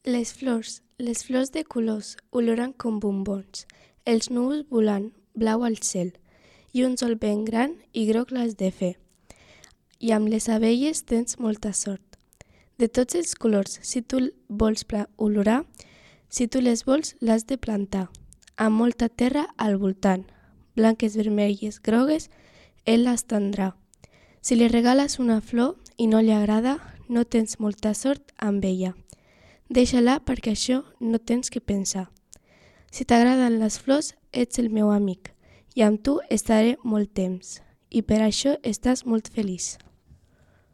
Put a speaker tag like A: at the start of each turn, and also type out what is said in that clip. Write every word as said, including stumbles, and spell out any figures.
A: Les flors, les flors de colors, oloren com bombons, els núvols volant, blau al cel, i un sol ben gran i groc l'has de fer. I amb les abelles tens molta sort. De tots els colors, si tu vols olorar, si tu les vols, l'has de plantar, amb molta terra al voltant, blanques, vermelles, grogues, ell les tindrà. Si li regales una flor i no li agrada, no tens molta sort amb ella. Deixa-la perquè això no tens que pensar. Si t'agraden les flors, ets el meu amic i amb tu estaré molt temps i per això estàs molt feliç.